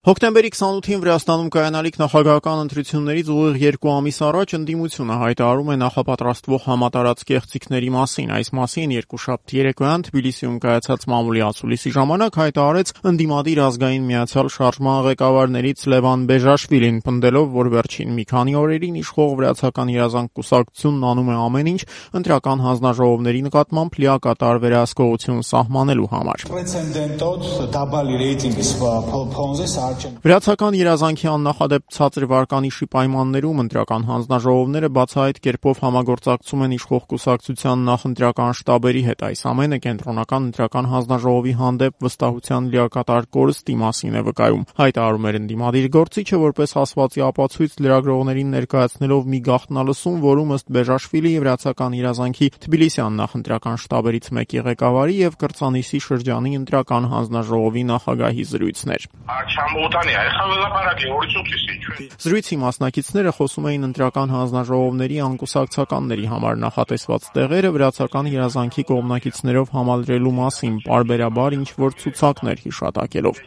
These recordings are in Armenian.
Հոկտեմբերի 28-ին Վրաստանում կայանալիք նախագահական ընտրություններից ուղիղ 2 ամիս առաջ ընդդիմությունը հայտարարում է նախապատրաստվող համատարած կեղծիքների մասին։ Այս մասին երկուշաբթի երեկոյան Թբիլիսիում կայացած մամուլի ասուլիսի ժամանակ հայտարարեց ընդդիմադիր ազգային միացյալ շարժման ղեկավարներից Լևան Բեժաշվիլին, պնդելով, որ վերջին մի քանի օրերին իշխող Վրացական երազանք կուսակցությունն անում է ամեն ինչ ընտրական հանձնաժողովների նկատմամբ լիակատար վերահսկողություն սահմանելու համար։ Վրացական երազանքի աննախադեպ ցածր վարկանիշի պայմաններում ընտրական հանձնաժողովները բացահայտ կերպով համագործակցում են իշխող կուսակցության նախընտրական շտաբերի հետ։ Այս ամենը կենտրոնական ընտրական հանձնաժողովի հանդեպ վստահության լիակատար կորստի մասին է վկայում, հայտարարում էր ընդդիմադիր գործիչը, որպես ասվածի ապացույց լրագրողներին ներկայացնելով մի գաղտնալսում, որում ըստ Բեժաշվիլի Վրացական երազանքի Թբիլիսյան նախընտրական շտաբերից մեկի ղեկավարի եւ Կրծանիսի շրջանի ընտրական հանձնաժողովի նախագահի զրույցներ։ Զրույցի մասնակիցները խոսում էին ընտրական հանձնաժողովների անկուսակցականների համար նախատեսված տեղերը Վրացական երազանքի կողմնակիցներով համալրելու մասին, պարբերաբար ինչ-որ ցուցակներ հիշատակելով։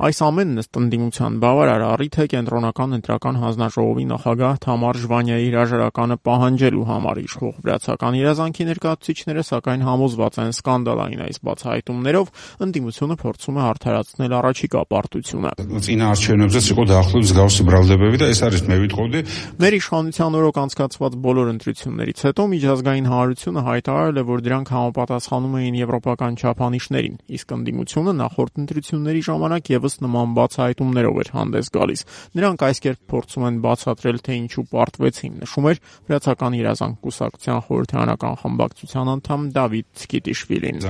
Այս ամենն ըստ ընդդիմության բավարար առիթ է կենտրոնական ընտրական հանձնաժողովի նախագահ Թամար Ժվանյայի հրաժարականը պահանջելու համար։ Իշխող Վրացական երազանքի ներկայացուցիչները սակայն համոզված են սկանդալային այս բացահայտումներով ընդդիմությունը փորձում է արդարացնել առաջիկա պարտությունը։ Մեր իշխանության օրոք անցկացված բոլոր ընտրություններից հետո միջազգային հանրությունը հայտարարել է, որ դրանք համապատասխանում էին եվրոպական չափանիշներին, իսկ ընդդիմությունը նախորդ ընտրությունների ժամանակ եւս նման բացահայտումներով էր հանդես գալիս։ Նրանք այս կերպ փորձում են բացատրել, թե ինչու պարտվեցին, նշում էր Վրացական երազանք կուսակցության խորհրդարանական խմբակցության անդամ Դավիթ Ցկիտիշվիլին։